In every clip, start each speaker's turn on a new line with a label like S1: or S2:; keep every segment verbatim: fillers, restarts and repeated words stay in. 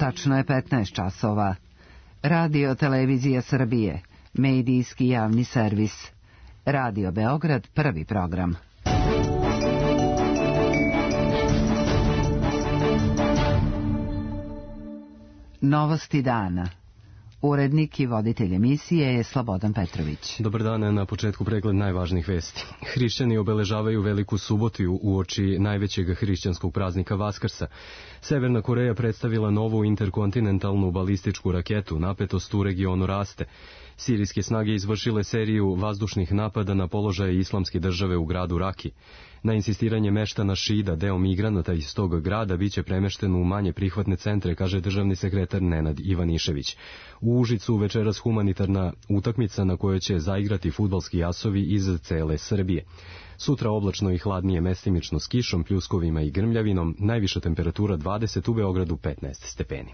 S1: Tačno je petnaest časova. Radio Televizija Srbije, medijski javni servis. Radio Beograd, prvi program. Novosti dana. Urednik i voditelj emisije je Slobodan Petrović.
S2: Dobar dan, na početku pregled najvažnijih vesti. Hrišćani obeležavaju Veliku subotu uoči najvećeg hrišćanskog praznika Vaskrsa. Severna Koreja predstavila novu interkontinentalnu balističku raketu, napetost u regionu raste. Sirijske snage izvršile seriju vazdušnih napada na položaje islamske države u gradu Raki. Na insistiranje meštana Šida, deo migranata iz tog grada biće premešten u manje prihvatne centre, kaže državni sekretar Nenad Ivanišević. U Užicu večeras humanitarna utakmica na kojoj će zaigrati fudbalski asovi iz cele Srbije. Sutra oblačno i hladnije, mestimično s kišom, pljuskovima i grmljavinom, najviša temperatura dvadeset, u Beogradu petnaest stepeni.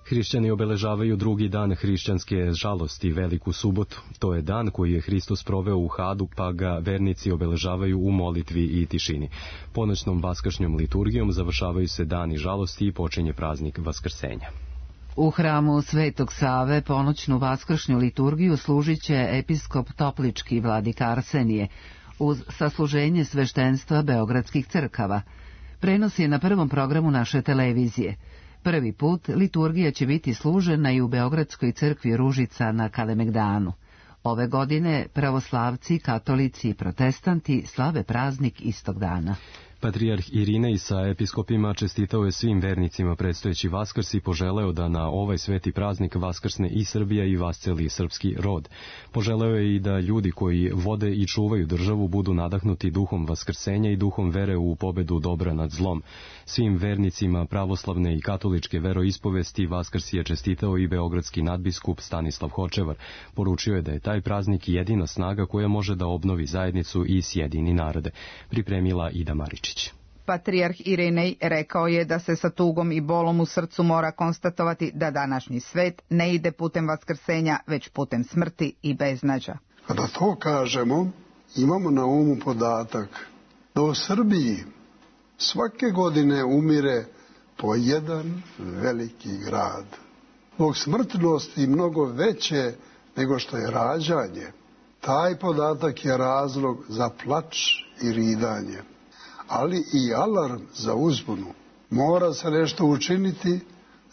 S2: Hrišćani obeležavaju drugi dan hrišćanske žalosti, Veliku subotu. To je dan koji je Hristos proveo u Hadu, pa ga vernici obeležavaju u molitvi i tišini. Ponoćnom vaskršnjom liturgijom završavaju se dani žalosti i počinje praznik Vaskrsenja.
S1: U hramu Svetog Save ponoćnu vaskršnju liturgiju služit će episkop Toplički vladika Arsenije uz sasluženje sveštenstva beogradskih crkava. Prenos je na prvom programu naše televizije. Prvi put liturgija će biti služena i u Beogradskoj crkvi Ružica na Kalemegdanu. Ove godine pravoslavci, katolici i protestanti slave praznik istog dana.
S2: Patrijarh Irinej sa episkopima čestitao je svim vernicima predstojeći Vaskrs i poželeo da na ovaj sveti praznik vaskrsne i Srbija i vasceli srpski rod. Poželeo je i da ljudi koji vode i čuvaju državu budu nadahnuti duhom vaskrsenja i duhom vere u pobedu dobra nad zlom. Svim vernicima pravoslavne i katoličke veroispovesti Vaskrs je čestitao i beogradski nadbiskup Stanislav Hočevar. Poručio je da je taj praznik jedina snaga koja može da obnovi zajednicu i sjedini narode. Pripremila Ida Maričić.
S3: Patrijarh Irinej rekao je da se sa tugom i bolom u srcu mora konstatovati da današnji svet ne ide putem vaskrsenja, već putem smrti i beznađa.
S4: Kada to kažemo, imamo na umu podatak da u Srbiji svake godine umire po jedan veliki grad. Zbog smrtnosti mnogo veće nego što je rađanje. Taj podatak je razlog za plač i ridanje, ali i alarm za uzbunu. Mora se nešto učiniti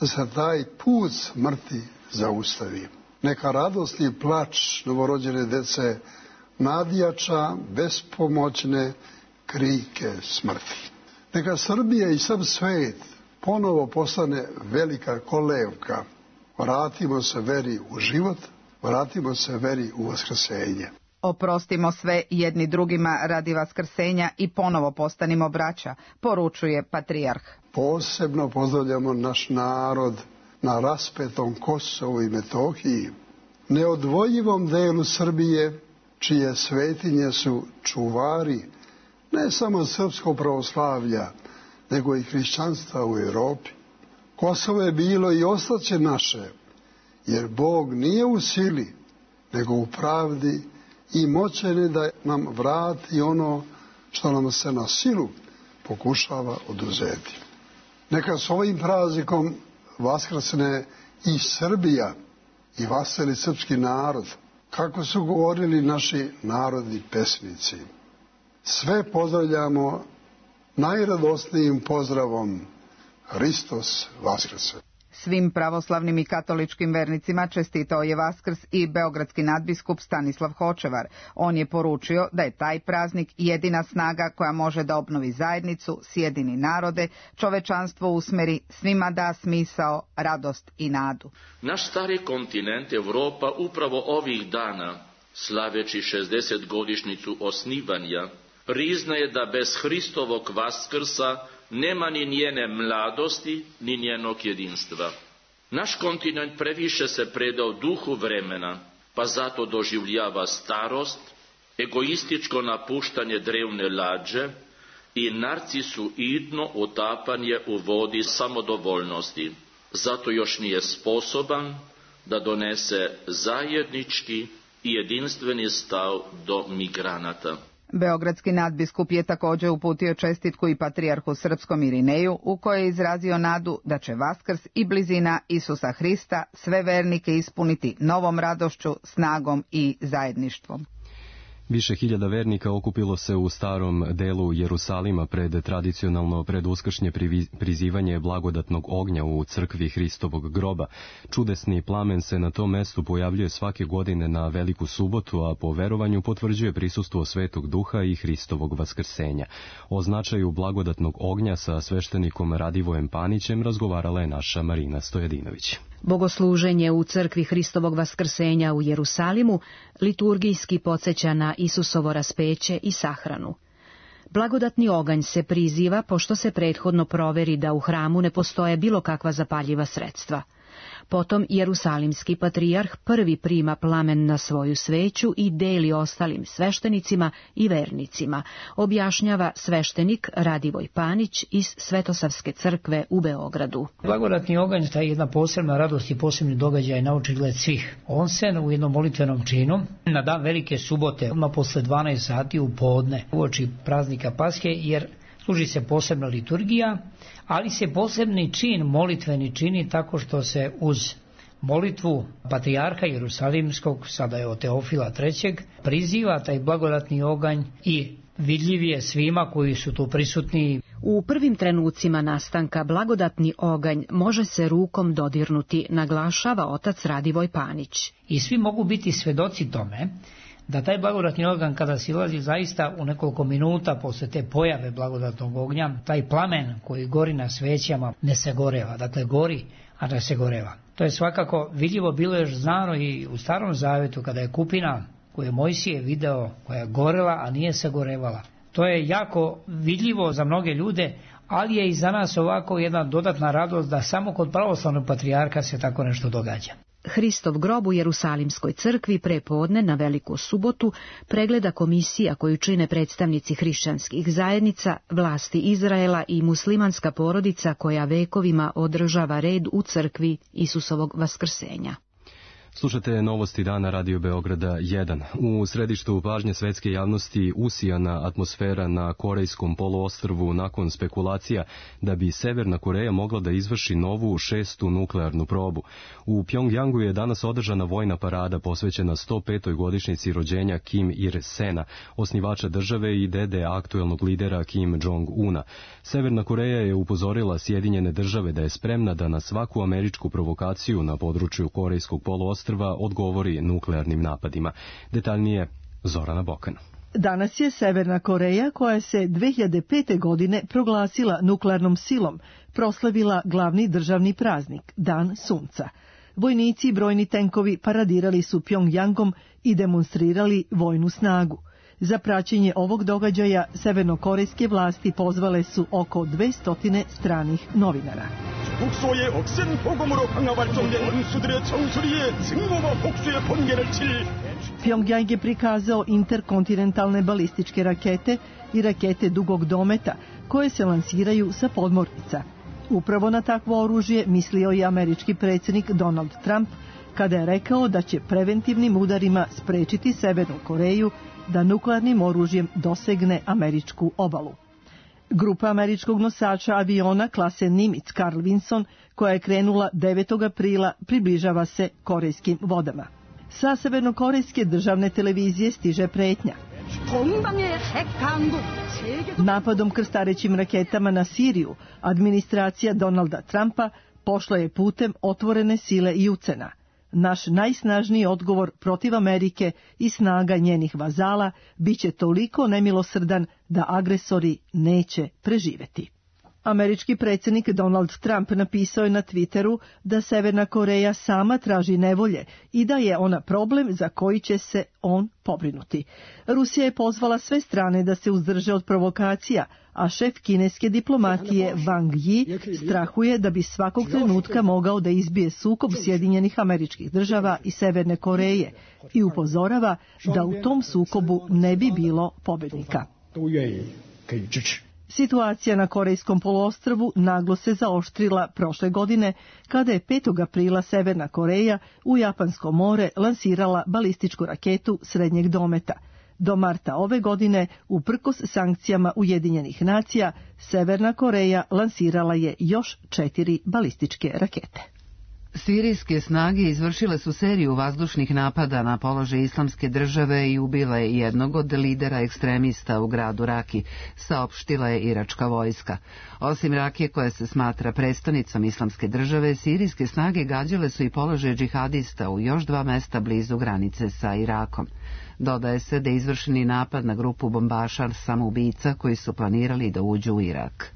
S4: da se taj put smrti zaustavi. Neka radost i plač novorođene dece nadjača bespomoćne krike smrti. Neka Srbija i sav svet ponovo postane velika kolevka. Vratimo se veri u život, vratimo se veri u vaskrsenje.
S3: Oprostimo sve jedni drugima radi vaskrsenja i ponovo postanimo braća, poručuje patrijarh.
S4: Posebno pozdravljamo naš narod na raspetom Kosovu i Metohiji, neodvojivom delu Srbije, čije svetinje su čuvari ne samo srpskog pravoslavlja, nego i hrišćanstva u Europi. Kosovo je bilo i ostaće naše, jer Bog nije u sili, nego u pravdi i moćan je da nam vrati ono što nam se na silu pokušava oduzeti. Neka s ovim praznikom vaskrsne i Srbija i vaseli srpski narod, kako su govorili naši narodni pesnici. Sve pozdravljamo najradosnijim pozdravom: Hristos vaskrse.
S3: Svim pravoslavnim i katoličkim vernicima čestitao je Vaskrs i beogradski nadbiskup Stanislav Hočevar. On je poručio da je taj praznik jedina snaga koja može da obnovi zajednicu, sjedini narode, čovečanstvo usmeri, svima da smisao, radost i nadu.
S5: Naš stari kontinent Evropa upravo ovih dana, slaveći šezdesetogodišnjicu osnivanja, priznaje da bez Hristovog Vaskrsa nema ni njene mladosti, ni njenog jedinstva. Naš kontinent previše se predao duhu vremena, pa zato doživljava starost, egoističko napuštanje drevne lađe i narcisoidno utapanje u vodi samodovoljnosti. Zato još nije sposoban da donese zajednički i jedinstveni stav do migranata.
S3: Beogradski nadbiskup je također uputio čestitku i patrijarhu srpskom Irineju, u kojoj je izrazio nadu da će Vaskrs i blizina Isusa Hrista sve vernike ispuniti novom radošću, snagom i zajedništvom.
S2: Više hiljada vernika okupilo se u starom delu Jerusalima pred tradicionalno preduskršnje prizivanje blagodatnog ognja u crkvi Hristovog groba. Čudesni plamen se na tom mestu pojavljuje svake godine na Veliku subotu, a po verovanju potvrđuje prisustvo Svetog Duha i Hristovog vaskrsenja. O značaju blagodatnog ognja sa sveštenikom Radivojem Panićem razgovarala je naša Marina Stojadinović.
S6: Bogosluženje u crkvi Hristovog vaskrsenja u Jerusalimu liturgijski podsjeća na Isusovo raspeće i sahranu. Blagodatni oganj se priziva pošto se prethodno proveri da u hramu ne postoje bilo kakva zapaljiva sredstva. Potom jerusalimski patrijarh prvi prima plamen na svoju sveću i deli ostalim sveštenicima i vernicima, objašnjava sveštenik Radivoj Panić iz Svetosavske crkve u Beogradu.
S7: Blagodatni oganj je jedna posebna radost i posebni događaj na očigled svih. On se u jednom molitvenom činu na dan Velike subote, odmah posle dvanaest sati u podne, uoči praznika Pashe, jer služi se posebna liturgija, ali se posebni čin, molitveni čini tako što se uz molitvu patrijarha Jerusalimskog, sada je od Teofila trećeg, priziva taj blagodatni oganj i vidljiv je svima koji su tu prisutni.
S6: U prvim trenucima nastanka blagodatni oganj može se rukom dodirnuti, naglašava otac Radivoj Panić.
S7: I svi mogu biti svedoci tome da taj blagodatni oganj kada silazi zaista u nekoliko minuta posle te pojave blagodatnog ognja, taj plamen koji gori na svećama ne se goreva, dakle gori, a ne se goreva. To je svakako vidljivo bilo još znano i u Starom Zavetu kada je kupina koju je Mojsije video, koja je gorela, a nije se gorevala. To je jako vidljivo za mnoge ljude, ali je i za nas ovako jedna dodatna radost da samo kod pravoslavnog patrijarha se tako nešto događa.
S6: Hristov grob u Jerusalimskoj crkvi prepodne na Veliku subotu pregleda komisija koju čine predstavnici hrišćanskih zajednica, vlasti Izraela i muslimanska porodica koja vekovima održava red u crkvi Isusovog vaskrsenja.
S2: Slušate novosti dana Radio Beograda jedan. U središtu pažnje svetske javnosti usijana atmosfera na Korejskom poluostrvu nakon spekulacija da bi Severna Koreja mogla da izvrši novu šestu nuklearnu probu. U Pjongjangu je danas održana vojna parada posvećena sto petoj godišnjici rođenja Kim Ir-sena, osnivača države i dede aktuelnog lidera Kim Jong-una. Severna Koreja je upozorila Sjedinjene države da je spremna da na svaku američku provokaciju na području Korejskog poluostrva odgovori nuklearnim napadima. Detaljnije Zorana Bokan.
S8: Danas je Severna Koreja, koja se dve hiljade pete. godine proglasila nuklearnom silom, proslavila glavni državni praznik, Dan sunca. Vojnici i brojni tenkovi paradirali su Pjongjangom i demonstrirali vojnu snagu. Za praćenje ovog događaja severnokorejske vlasti pozvale su oko dvesta stranih novinara. Pjongjang je prikazao interkontinentalne balističke rakete i rakete dugog dometa koje se lansiraju sa podmornica. Upravo na takvo oružje mislio je američki predsjednik Donald Trump kada je rekao da će preventivnim udarima sprečiti Severnu Koreju da nuklearnim oružjem dosegne američku obalu. Grupa američkog nosača aviona klase Nimitz Carl Vinson, koja je krenula devetog aprila, približava se korejskim vodama. Sa severnokorejske državne televizije stiže pretnja. Napadom krstarećim raketama na Siriju, administracija Donalda Trumpa pošla je putem otvorene sile i ucena. Naš najsnažniji odgovor protiv Amerike i snaga njenih vazala biće toliko nemilosrdan da agresori neće preživeti. Američki predsjednik Donald Trump napisao je na Twitteru da Severna Koreja sama traži nevolje i da je ona problem za koji će se on pobrinuti. Rusija je pozvala sve strane da se uzdrže od provokacija, a šef kineske diplomatije Wang Yi strahuje da bi svakog trenutka mogao da izbije sukob Sjedinjenih Američkih Država i Severne Koreje i upozorava da u tom sukobu ne bi bilo pobjednika. Situacija na Korejskom poluostrvu naglo se zaoštrila prošle godine kada je petog aprila Severna Koreja u Japansko more lansirala balističku raketu srednjeg dometa. Do marta ove godine, uprkos sankcijama Ujedinjenih nacija, Severna Koreja lansirala je još četiri balističke rakete.
S1: Sirijske snage izvršile su seriju vazdušnih napada na položaj Islamske države i ubile jednog od lidera ekstremista u gradu Raki, saopštila je iračka vojska. Osim Rakije, koja se smatra prestonicom Islamske države, sirijske snage gađale su i položaj džihadista u još dva mesta blizu granice sa Irakom. Dodaje se da je izvršeni napad na grupu bombaša samoubica koji su planirali da uđu u Irak.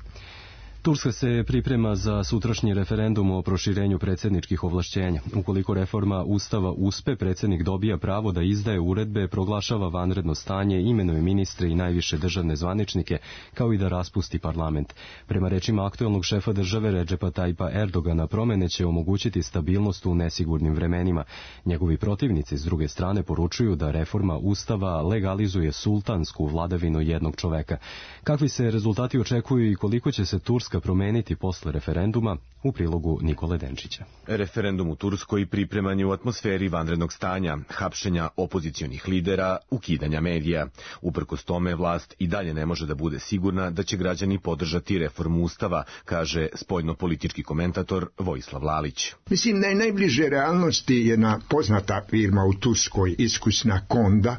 S2: Turska se priprema za sutrašnji referendum o proširenju predsjedničkih ovlašćenja. Ukoliko reforma Ustava uspe, predsjednik dobija pravo da izdaje uredbe, proglašava vanredno stanje, imenuje ministre i najviše državne zvaničnike, kao i da raspusti parlament. Prema rečima aktuelnog šefa države Redžepa Tajpa Erdogana, promjene će omogućiti stabilnost u nesigurnim vremenima. Njegovi protivnici s druge strane poručuju da reforma Ustava legalizuje sultansku vladavinu jednog čoveka. Kakvi se rezultati očekuju i koliko će se Turska promeniti posle referenduma, u prilogu Nikole Denčića.
S9: Referendum u Turskoj pripreman je u atmosferi vanrednog stanja, hapšenja opozicionih lidera, ukidanja medija. Uprkos tome, vlast i dalje ne može da bude sigurna da će građani podržati reformu Ustava, kaže spoljno-politički komentator Vojislav Lalić.
S10: Mislim da je najbliže realnosti jedna poznata firma u Turskoj, iskusna Konda,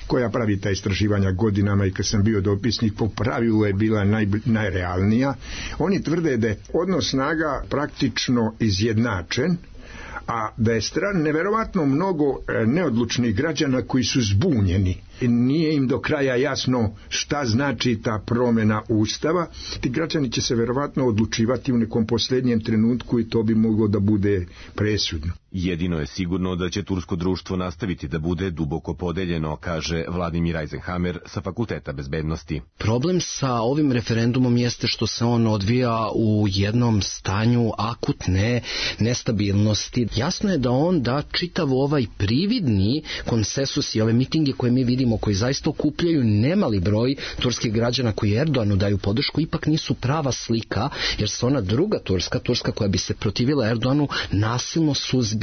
S10: koja pravi ta istraživanja godinama i kad sam bio dopisnik, po pravilu je bila naj, najrealnija. Oni tvrde da je odnos snaga praktično izjednačen, a da je stran neverovatno mnogo neodlučnih građana koji su zbunjeni. Nije im do kraja jasno šta znači ta promjena Ustava. Ti građani će se verovatno odlučivati u nekom posljednjem trenutku i to bi moglo da bude presudno.
S9: Jedino je sigurno da će tursko društvo nastaviti da bude duboko podeljeno, kaže Vladimir Eisenhammer sa Fakulteta bezbednosti.
S11: Problem sa ovim referendumom jeste što se on odvija u jednom stanju akutne nestabilnosti. Jasno je da on da čitav ovaj prividni konsensus i ove mitinge koje mi vidimo, koji zaista okupljaju nemali broj turskih građana koji Erdoganu daju podršku, ipak nisu prava slika, jer se ona druga Turska, Turska koja bi se protivila Erdoganu, nasilno suzbija.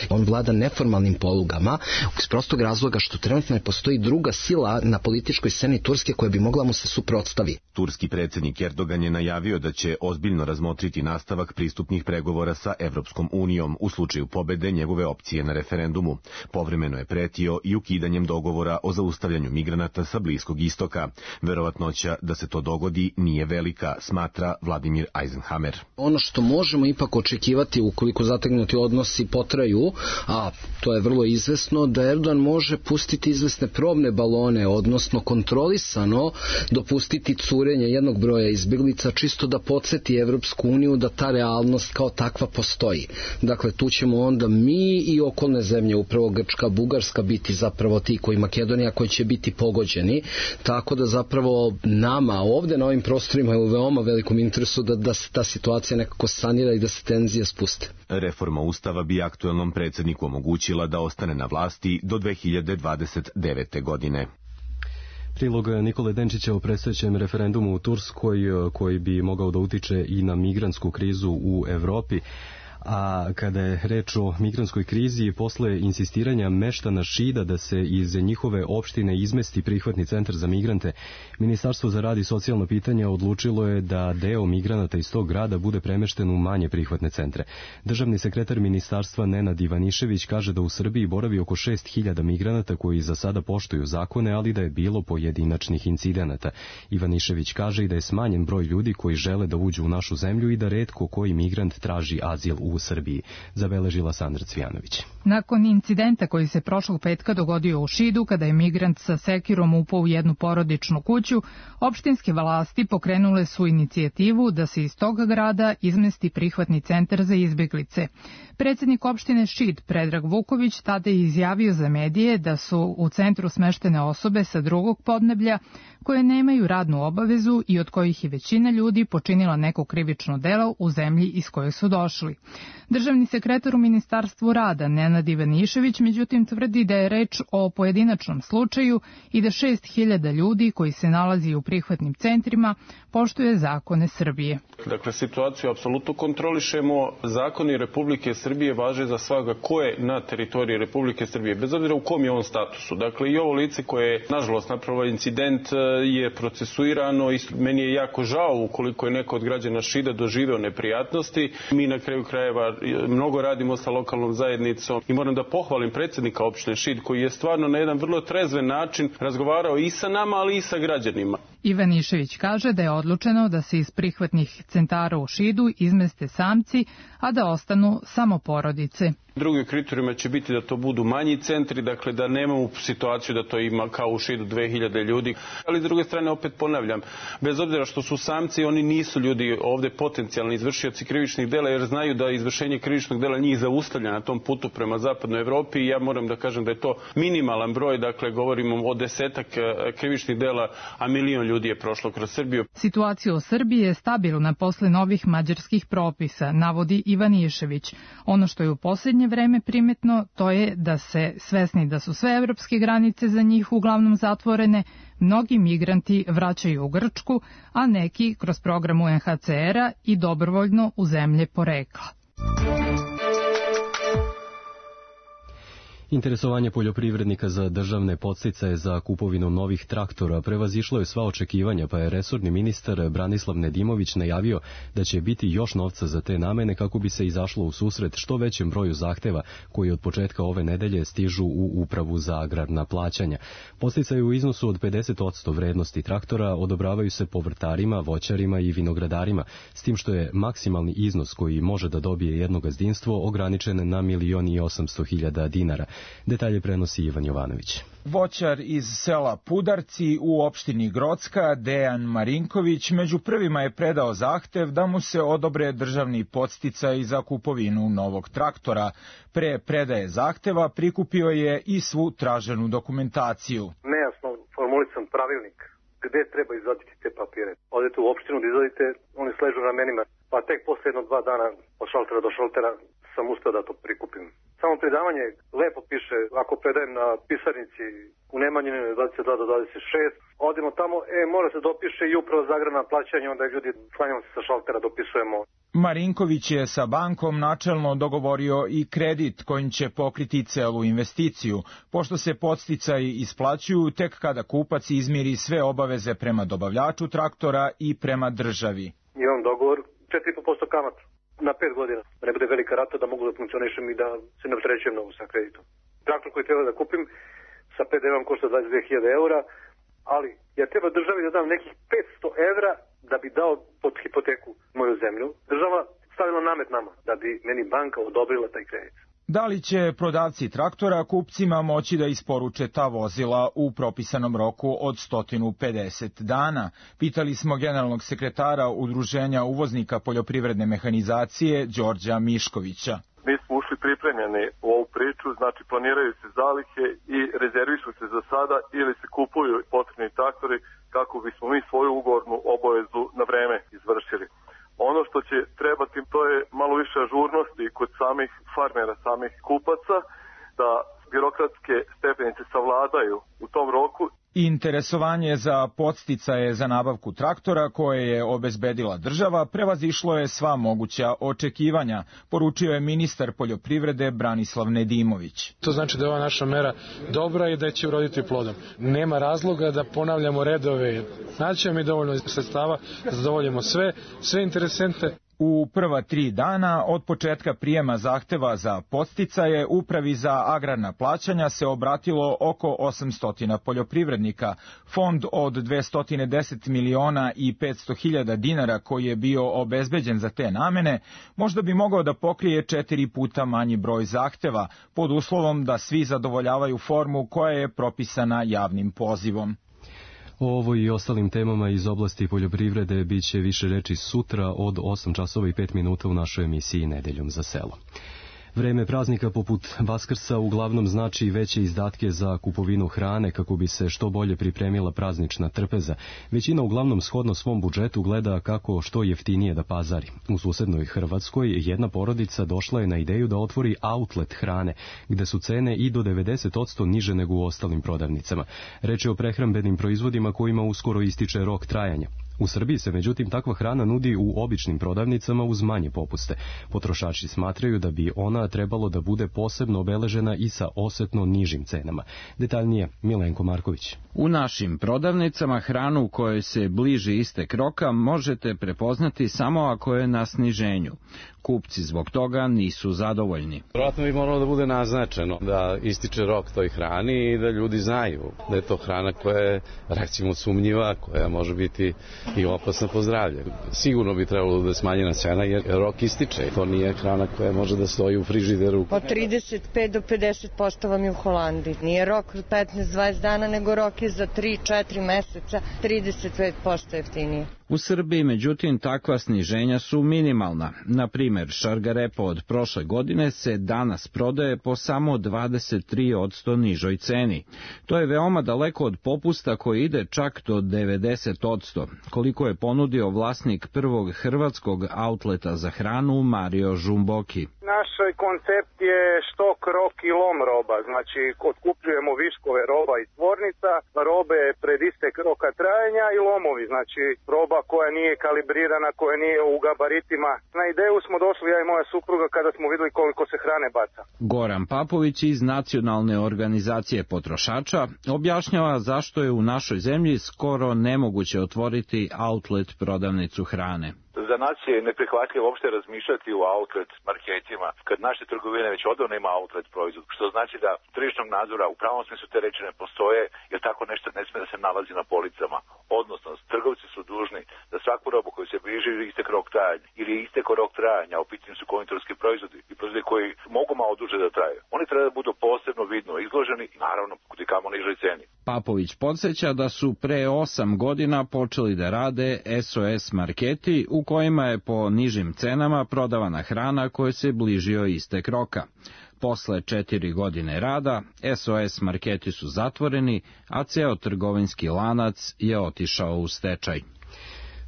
S11: On vlada neformalnim polugama, iz prostog razloga što trenutno ne postoji druga sila na političkoj sceni Turske koja bi mogla mu se suprotstavi.
S9: Turski predsjednik Erdogan je najavio da će ozbiljno razmotriti nastavak pristupnih pregovora sa Evropskom unijom u slučaju pobede njegove opcije na referendumu. Povremeno je pretio i ukidanjem dogovora o zaustavljanju migranata sa Bliskog istoka. Verovatnoća da se to dogodi nije velika, smatra Vladimir Eisenhammer.
S11: Ono što možemo ipak očekivati ukoliko zategnuti odnosi potraju, a to je vrlo izvesno, da Erdogan može pustiti izvesne probne balone, odnosno kontrolisano dopustiti curenje jednog broja izbjeglica, čisto da podsjeti Evropsku uniju da ta realnost kao takva postoji. Dakle, tu ćemo onda mi i okolne zemlje, upravo Grčka, Bugarska, biti zapravo ti koji Makedonija, koji će biti pogođeni, tako da zapravo nama ovdje na ovim prostorima je u veoma velikom interesu da, da se ta situacija nekako sanira i da se tenzije spuste.
S9: Reforma Ustava bi aktuelnom predsjedniku omogućila da ostane na vlasti do dve hiljade dvadeset devete. godine.
S2: Prilog Nikole Denčića o predstojećem referendumu u Turskoj, koji bi mogao da utiče i na migrantsku krizu u Evropi. A kada je reč o migrantskoj krizi, posle insistiranja meštana Šida da se iz njihove opštine izmesti prihvatni centar za migrante, Ministarstvo za rad i socijalna pitanja odlučilo je da deo migranata iz tog grada bude premešten u manje prihvatne centre. Državni sekretar ministarstva Nenad Ivanišević kaže da u Srbiji boravi oko šest hiljada migranata koji za sada poštuju zakone, ali da je bilo pojedinačnih incidenata. Ivanišević kaže i da je smanjen broj ljudi koji žele da uđu u našu zemlju i da retko koji migrant traži azil u u Srbiji, zabeležila Sandra Cvijanović.
S12: Nakon incidenta koji se prošlog petka dogodio u Šidu, kada je migrant sa sekirom upao u jednu porodičnu kuću, opštinske vlasti pokrenule su inicijativu da se iz toga grada izmesti prihvatni centar za izbjeglice. Predsjednik opštine Šid, Predrag Vuković, tada je izjavio za medije da su u centru smeštene osobe sa drugog podneblja koje nemaju radnu obavezu i od kojih je većina ljudi počinila neko krivično delo u zemlji iz koje su došli. Državni sekretar u Ministarstvu rada Nenad Ivanišević međutim tvrdi da je reč o pojedinačnom slučaju i da šest hiljada ljudi koji se nalazi u prihvatnim centrima poštuje zakone Srbije.
S13: Dakle, situaciju apsolutno kontrolišemo. Zakoni Republike Srbije važe za svaga ko je na teritoriji Republike Srbije, bez obzira u kom je on statusu. Dakle, i ovo lice koje je, nažalost, napravilo incident je procesuirano i meni je jako žao ukoliko je neko od građana Šida doživeo neprijatnosti. Mi na kraju krajeva mnogo radimo sa lokalnom zajednicom i moram da pohvalim predsjednika opštine Šid koji je stvarno na jedan vrlo trezven način razgovarao i sa nama, ali i sa građanima.
S12: Ivanišević kaže da je odlučeno da se iz prihvatnih centara u Šidu izmeste samci, a da ostanu samo porodice.
S13: Drugi kriterijuma će biti da to budu manji centri, dakle da nemamo situaciju da to ima kao u Šidu dve hiljade ljudi. Ali s druge strane opet ponavljam, bez obzira što su samci, oni nisu ljudi ovde potencijalni izvršioci krivičnih dela jer znaju da izvršenje krivičnog dela njih zaustavlja na tom putu prema zapadnoj Evropi i ja moram da kažem da je to minimalan broj, dakle govorimo o desetak krivičnih dela, a milion ljudi je prošlo kroz Srbiju.
S12: Situacija u Srbiji je stabilna posle novih mađarskih propisa, navodi Ivanišević. Ono što je u posljednje vreme primetno, to je da se, svesni da su sve evropske granice za njih uglavnom zatvorene, mnogi migranti vraćaju u Grčku, a neki kroz program U N H C R-a i dobrovoljno u zemlje porekla.
S2: Interesovanje poljoprivrednika za državne podsticaje za kupovinu novih traktora prevazišlo je sva očekivanja, pa je resorni ministar Branislav Nedimović najavio da će biti još novca za te namene kako bi se izašlo u susret što većem broju zahteva koji od početka ove nedelje stižu u Upravu za agrarna plaćanja. Podsticaje u iznosu od pedeset posto vrednosti traktora odobravaju se povrtarima, voćarima i vinogradarima, s tim što je maksimalni iznos koji može da dobije jedno gazdinstvo ograničen na milion i osamsto hiljada dinara. Detalje prenosi Ivan Jovanović.
S14: Voćar iz sela Pudarci u opštini Grocka, Dejan Marinković, među prvima je predao zahtev da mu se odobre državni podsticaj za kupovinu novog traktora. Pre predaje zahteva prikupio je i svu traženu dokumentaciju.
S15: Nejasno formulisan pravilnik gde treba izvaditi te papire. Odete u opštinu da izvadite, oni sležu ramenima, pa tek posle jedno dva dana od šaltera do šaltera sam ustao da to prikupim. Samo predavanje lepo piše, ako predajem na pisarnici u Nemanjini dvadeset dva do dvadeset šest, odemo tamo, e, mora se dopiše i upravo za agrarna plaćanja, onda ljudi slanjamo se sa šaltera, dopisujemo.
S14: Marinković je sa bankom načelno dogovorio i kredit kojim će pokriti celu investiciju, pošto se podsticaji isplaćuju tek kada kupac izmiri sve obaveze prema dobavljaču traktora i prema državi.
S15: Imam dogovor četiri i po posto kamata na pet godina, da ne bude velika rata, da mogu da funkcionišem i da se ne opterećujem mnogo sa kreditom. Traktor koji treba da kupim sa P D V-om košta dvadeset dve hiljade eura, ali ja treba državi da dam nekih petsto evra da bi dao pod hipoteku moju zemlju. Država stavila namet nama da bi meni banka odobrila taj kredit.
S14: Da li će prodavci traktora kupcima moći da isporuče ta vozila u propisanom roku od sto pedeset dana? Pitali smo generalnog sekretara Udruženja uvoznika poljoprivredne mehanizacije Đorđa Miškovića.
S16: Mi smo ušli pripremljeni u ovu priču, znači planiraju se zalihe i rezervišu se za sada ili se kupuju potrebni traktori kako bismo mi svoju ugovornu obavezu na vreme izvršili. Ono što će trebati, to je malo više ažurnosti kod samih farmera, samih kupaca, da birokratske stepenice savladaju u tom roku.
S14: Interesovanje za podsticaje za nabavku traktora koje je obezbedila država prevazišlo je sva moguća očekivanja, poručio je ministar poljoprivrede Branislav Nedimović.
S17: To znači da je ova naša mera dobra i da će uroditi plodom. Nema razloga da ponavljamo redove. Naći mi dovoljno sredstava da zadovoljimo sve, sve interesente.
S14: U prva tri dana od početka prijema zahteva za podsticaje Upravi za agrarna plaćanja se obratilo oko osamsto poljoprivrednika. Fond od dvesta deset miliona i petsto hiljada dinara koji je bio obezbeđen za te namene možda bi mogao da pokrije četiri puta manji broj zahteva pod uslovom da svi zadovoljavaju formu koja je propisana javnim pozivom.
S2: O ovoj i ostalim temama iz oblasti poljoprivrede bit će više reči sutra od osam časova i pet minuta u našoj emisiji Nedeljom za selo. Vreme praznika poput Vaskrsa uglavnom znači veće izdatke za kupovinu hrane kako bi se što bolje pripremila praznična trpeza. Većina uglavnom shodno svom budžetu gleda kako što jeftinije da pazari. U susednoj Hrvatskoj jedna porodica došla je na ideju da otvori outlet hrane, gde su cene i do devedeset posto niže nego u ostalim prodavnicama. Reč je o prehrambenim proizvodima kojima uskoro ističe rok trajanja. U Srbiji se međutim takva hrana nudi u običnim prodavnicama uz manje popuste. Potrošači smatraju da bi ona trebalo da bude posebno obeležena i sa osetno nižim cenama. Detaljnije Milenko Marković.
S18: U našim prodavnicama hranu kojoj se bliži istek roka možete prepoznati samo ako je na sniženju. Kupci zbog toga nisu zadovoljni.
S19: Vjerojatno bi moralo da bude naznačeno da ističe rok toj hrani i da ljudi znaju da je to hrana koja je recimo sumnjiva, koja može biti i opasna po zdravlje. Sigurno bi trebalo da je smanjena cena jer rok ističe. To nije hrana koja može da stoji u frižideru.
S20: Od trideset pet do pedeset posto vam je u Holandiji. Nije rok petnaest do dvadeset dana, nego rok je za tri četiri meseca trideset pet posto jeftinije.
S18: U Srbiji, međutim, takva sniženja su minimalna. Na primjer, šargarepa od prošle godine se danas prodaje po samo dvadeset tri posto nižoj ceni. To je veoma daleko od popusta koji ide čak do devedeset posto, koliko je ponudio vlasnik prvog hrvatskog outleta za hranu Mario Žumboki.
S21: Naš koncept je štok, rok i lom roba, znači otkupljujemo viškove roba iz tvornica, robe pred istek roka trajanja i lomovi, znači roba koja nije kalibrirana, koja nije u gabaritima. Na ideju smo došli ja i moja supruga kada smo vidjeli koliko se hrane baca.
S18: Goran Papović iz Nacionalne organizacije potrošača objašnjava zašto je u našoj zemlji skoro nemoguće otvoriti outlet prodavnicu hrane.
S22: Za nas je neprihvatljivo uopšte razmišljati u outlet marketima kad naše trgovine već odavno ima outlet proizvod, što znači da tržišnog nadzora u pravom smislu te reči ne postoje, jer tako nešto ne sme da se nalazi na policama. Odnosno, trgovci su dužni da svaku robu koju se bliži istek rok trajanja ili je istek rok trajanja, u pitanju su konditorski proizvodi i proizvodi koji mogu malo duže da traju. Oni treba da budu posebno vidno izloženi i naravno kudikamo nižoj ceni.
S18: Papović podsjeća da su pre osam godina počeli da rade S O S marketi u kojima je po nižim cenama prodavana hrana koja se bližio istek roka. Posle četiri godine rada, S O S marketi su zatvoreni, a ceo trgovinski lanac je otišao u stečaj.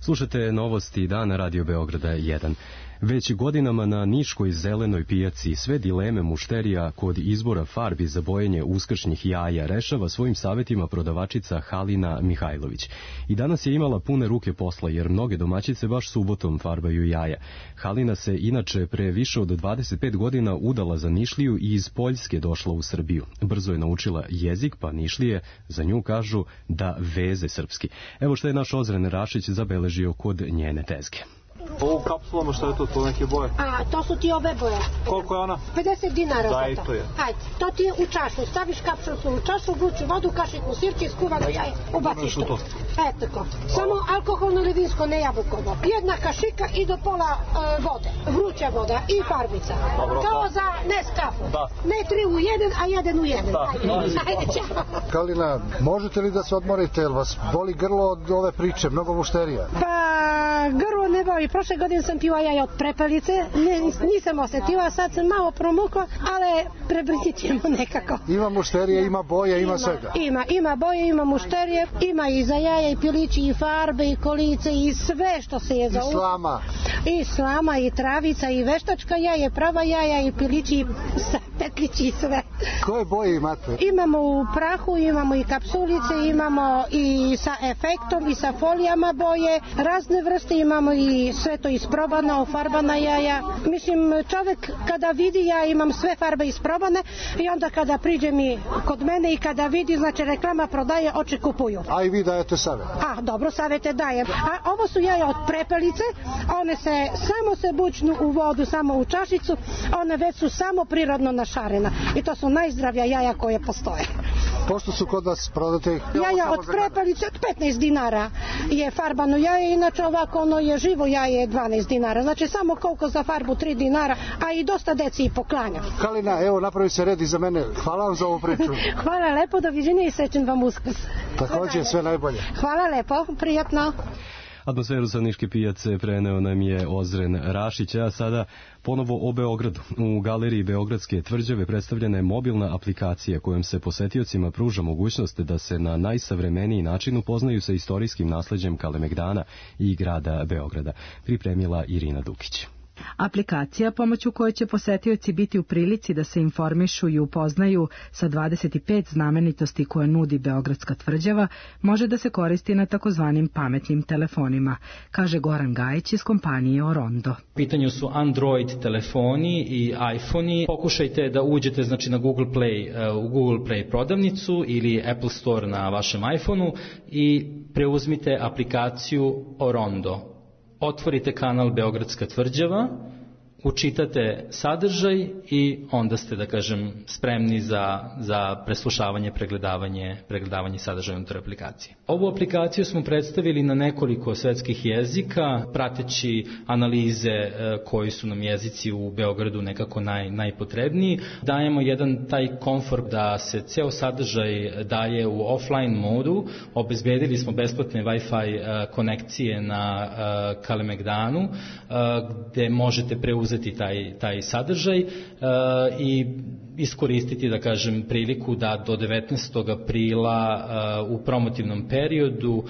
S2: Slušate novosti dana Radio Beograda jedan. Već godinama na niškoj zelenoj pijaci sve dileme mušterija kod izbora farbi za bojenje uskršnjih jaja rešava svojim savjetima prodavačica Halina Mihajlović. I danas je imala pune ruke posla jer mnoge domaćice baš subotom farbaju jaja. Halina se inače pre više od dvadeset pet godina udala za Nišliju i iz Poljske došla u Srbiju. Brzo je naučila jezik, pa Nišlije za nju kažu da veze srpski. Evo što je naš Ozren Rašić zabeležio kod njene tezge.
S23: Ovo u kapsulama što je to, to neke boje?
S24: A, to su ti ove boje.
S23: Koliko je ona?
S24: pedeset dinara.
S23: Daj to je.
S24: Hajde, to ti je u čašu. Staviš kapsulu u čašu, vruću vodu, kašiku sirće, skuvano jaje, ubaciš to. E, tako. Samo alkoholno ili vinsko, ne jabukovo. Jedna kašika i do pola e, vode. Vruća voda i farbica. Dobro, kao da. Za Nescafe. Da. Ne tri u jedan, a jedan u jedan. Da. Ajde, ajde, čao.
S25: Kalina, možete li da se odmorite, jel vas boli grlo od ove priče, mnogo mušterija?
S24: Pa, grlo ne boli. Prošle godine sam pila jaja od prepelice, ne, nisam osetila, sad sam malo promukla, ali prebrzit ćemo nekako.
S25: Ima mušterije, ima boje, ima, ima svega?
S24: Ima, ima boje, ima mušterije, ima i za jaja, i pilići, i farbe, i kolice, i sve što se je za...
S25: I slama?
S24: I slama, i travica, i veštačka jaja, prava jaja, i pilići, i petlići, i sve.
S25: Koje boje imate?
S24: Imamo u prahu, imamo i kapsulice, imamo i sa efektom, i sa folijama boje, razne vrste, imamo i sve to isprobano, farbana jaja. Mislim, čovjek kada vidi, ja imam sve farbe isprobane i onda kada priđe mi kod mene i kada vidi, znači reklama prodaje, oči kupuju.
S25: A i vi dajete savjet?
S24: A, dobro, savjete dajem. A ovo su jaja od prepelice, one se samo se bučnu u vodu, samo u čašicu, one već su samo prirodno našarena i to su najzdravija jaja koje postoje.
S25: Pošto su kod vas prodate?
S24: Jaja od prepelice petnaest dinara je farbano jaje, inače ovako ono je živo jaje dvanaest dinara, znači samo koliko za farbu tri dinara, a i dosta deci i poklanja.
S25: Kalina, evo napravi se red i za mene, hvala vam za ovu priču.
S24: Hvala lepo, doviđenja i srećen vam Uskrs.
S25: Također, sve najbolje.
S24: Hvala lepo, prijatno.
S2: Atmosferu sa Niške pijace preneo nam je Ozren Rašić, a sada ponovo o Beogradu. U galeriji Beogradske tvrđave predstavljena je mobilna aplikacija kojom se posetiocima pruža mogućnost da se na najsavremeniji način upoznaju sa istorijskim nasleđem Kalemegdana i grada Beograda. Pripremila Irina Dukić.
S3: Aplikacija pomoću koje će posetioci biti u prilici da se informišu i upoznaju sa dvadeset pet znamenitosti koje nudi Beogradska tvrđava može da se koristi na takozvanim pametnim telefonima, kaže Goran Gajić iz kompanije Orondo.
S4: U pitanju su Android telefoni i iPhone-i. Pokušajte da uđete znači, na Google Play, u Google Play prodavnicu ili Apple Store na vašem iPhone-u i preuzmite aplikaciju Orondo. Otvorite kanal Beogradska tvrđava, učitate sadržaj i onda ste, da kažem, spremni za, za preslušavanje, pregledavanje, pregledavanje sadržaja unutar aplikacije. Ovu aplikaciju smo predstavili na nekoliko svetskih jezika, prateći analize koji su nam jezici u Beogradu nekako naj, najpotrebniji. Dajemo jedan taj komfort da se ceo sadržaj daje u offline modu. Obezbedili smo besplatne Wi-Fi konekcije na Kalemegdanu, gde možete preuzeti taj, taj sadržaj uh, i iskoristiti, da kažem, priliku da do devetnaestog aprila uh, u promotivnom periodu uh,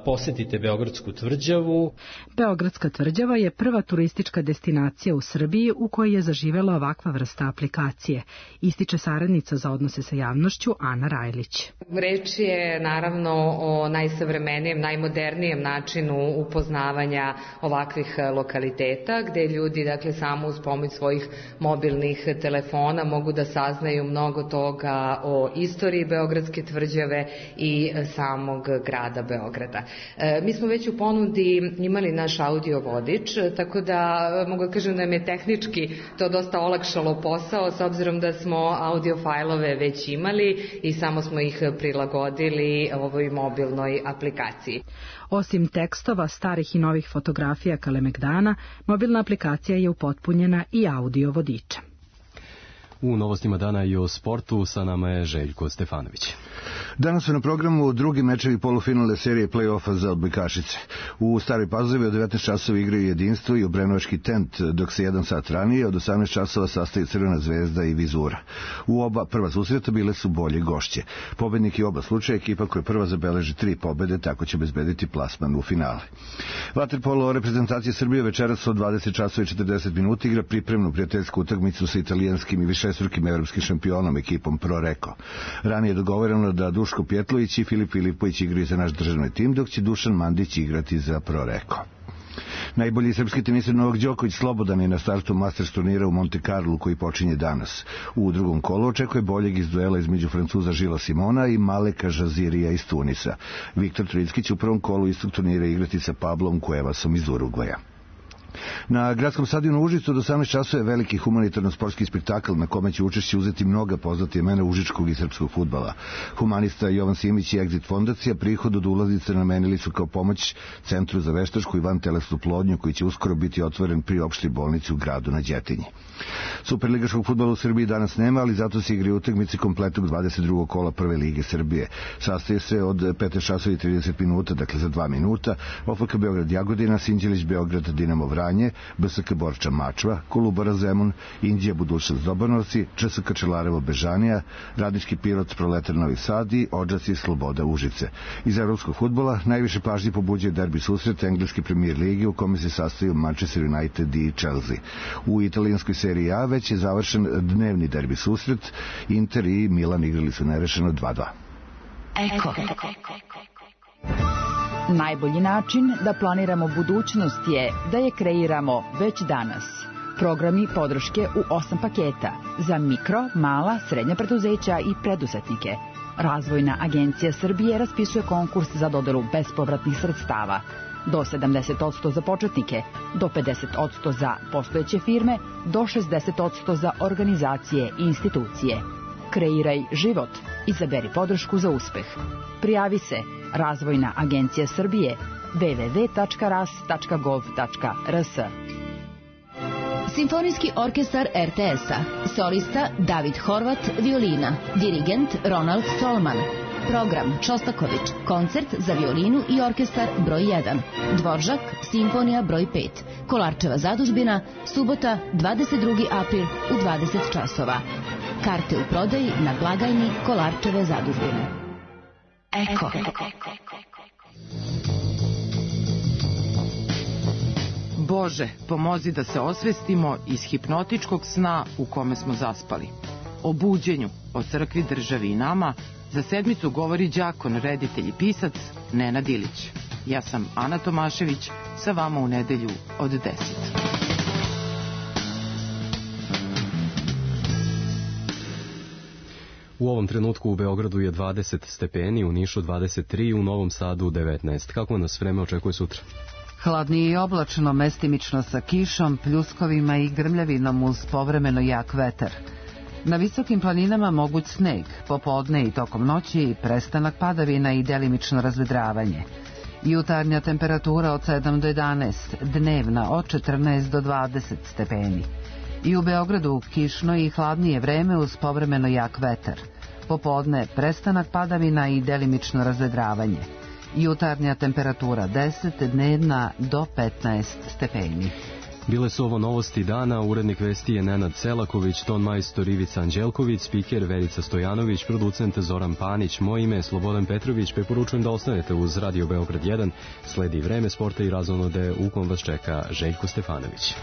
S4: posetite Beogradsku tvrđavu.
S3: Beogradska tvrđava je prva turistička destinacija u Srbiji u kojoj je zaživela ovakva vrsta aplikacije, ističe saradnica za odnose sa javnošću Ana Rajlić.
S5: Reč je naravno o najsavremenijem, najmodernijem načinu upoznavanja ovakvih lokaliteta, gde ljudi, dakle, samo uz pomoć svojih mobilnih telefona mogu da saznaju mnogo toga o istoriji Beogradske tvrđave i samog grada Beograda. E, mi smo već u ponudi imali naš audio vodič, tako da mogu da kažem da nam je tehnički to dosta olakšalo posao, s obzirom da smo audio fajlove već imali i samo smo ih prilagodili ovoj mobilnoj aplikaciji.
S3: Osim tekstova, starih i novih fotografija Kalemegdana, mobilna aplikacija je upotpunjena i audio vodičem.
S2: U novostima dana i o sportu sa nama je Željko Stefanović.
S6: Danas su na programu drugi mečevi polufinalne serije play-offa za odbojkašice. U Staroj Pazovi od devetnaest časova igraju Jedinstvo i Obrenovački Tent, dok se jedan sat ranije od osamnaest časova sastaju Crvena zvezda i Vizura. U oba prva susreta bile su bolje gošće. Pobednik je oba slučaja ekipa koja prva zabeleži tri pobede, tako će bezbediti plasman u finale. Vaterpolo reprezentacije Srbije večeras od dvadeset časova i četrdeset minuta igra pripremnu prijateljsku utakmicu sa italijanskim i višestrukim evropskim šampionom ekipom Pro Reko. Ranije je dogovoreno da Duško Pjetlović i Filip Filipović igraju za naš državni tim, dok će Dušan Mandić igrati za Pro Reko. Najbolji srpski teniser Novak Đoković slobodan je na startu Masters turnira u Monte Carlo koji počinje danas. U drugom kolu očekuje boljeg iz duela između Francuza Žila Simona i Maleka Žazirija iz Tunisa. Viktor Tricki će u prvom kolu istog turnira igrati sa Pablom Cuevasom iz Urugvaja. Na gradskom stadionu u Užicu od osamnaest časova je veliki humanitarno-sportski spektakl na kome će učešće uzeti mnoga poznata imena užičkog i srpskog fudbala. Humanista Jovan Simić i Exit fondacija prihod od ulaznice namenili su kao pomoć Centru za veštačku i vantelesnu plodnju koji će uskoro biti otvoren pri opštoj bolnici u gradu na Đetinji. Superligaškog fudbala u Srbiji danas nema, ali zato se igri utakmice kompletnog dvadeset drugog kola Prve lige Srbije. Sastaje se od petnaest časova i trideset minuta, dakle za dva minuta, O F K Beograd Jagodina, Sinđelić Beograd Dinamo Vranje, B S K Borča Mačva, Kolubara Zemun, Indija Budućnost Dobanovci, Č S K Čelarevo Bežanija, Radnički Pirot Proletar Novi Sad i Odžaci Sloboda Užice. Iz evropskog fudbala najviše pažnje pobuđuje derbi susret engleske premier lige u kome se sastaju Manchester United i Chelsea. U italijanskoj seriji A već je završen dnevni derbi susret, Inter i Milan igrali su nerešeno dva dva.
S7: Eko. Najbolji način da planiramo budućnost je da je kreiramo već danas. Programi podrške u osam paketa za mikro, mala, srednja preduzeća i preduzetnike. Razvojna agencija Srbije raspisuje konkurs za dodelu bespovratnih sredstava. Do sedamdeset posto za početnike, do pedeset posto za postojeće firme, do šezdeset posto za organizacije i institucije. Kreiraj život. Izaberi podršku za uspeh. Prijavi se Razvojna agencija Srbije w w w tačka ras tačka gov tačka r s.
S26: Simfonijski orkestar R T S-a. Solista David Horvat, violina. Dirigent Ronald Solman.
S1: program Šostaković, koncert za violinu i orkestar broj jedan, Dvoržak, simfonija broj pet, Kolarčeva zadužbina, subota dvadeset drugi april u dvadeset časova. Karte u prodaji na blagajni Kolarčeve zadužbine. Eko.
S8: Bože, pomozi da se osvestimo iz hipnotičkog sna u kome smo zaspali. O buđenju, o crkvi, državi i nama za sedmicu govori đakon, reditelj i pisac Nenad Ilić. Ja sam Ana Tomašević, sa vama u nedelju od deset.
S2: U ovom trenutku u Beogradu je dvadeset stepeni, u Nišu dvadeset tri, u Novom Sadu devetnaest. Kako nas vreme očekuje sutra?
S9: Hladnije i oblačno, mestimično sa kišom, pljuskovima i grmljavinom uz povremeno jak vetar. Na visokim planinama moguć sneg, popodne i tokom noći prestanak padavina i delimično razvedravanje. Jutarnja temperatura od sedam do jedanaest, dnevna od četrnaest do dvadeset stepeni. I u Beogradu kišno i hladnije vreme uz povremeno jak vetar. Popodne prestanak padavina i delimično razvedravanje. Jutarnja temperatura deset, dnevna do petnaest stepeni.
S2: Bile su ovo novosti dana, urednik vesti je Nenad Selaković, ton majstor Ivica Anđelković, spiker Verica Stojanović, producent Zoran Panić, moje ime je Slobodan Petrović, preporučujem da ostanete uz Radio Beograd jedan, sledi vreme sporta i razonode u kom vas čeka Željko Stefanović.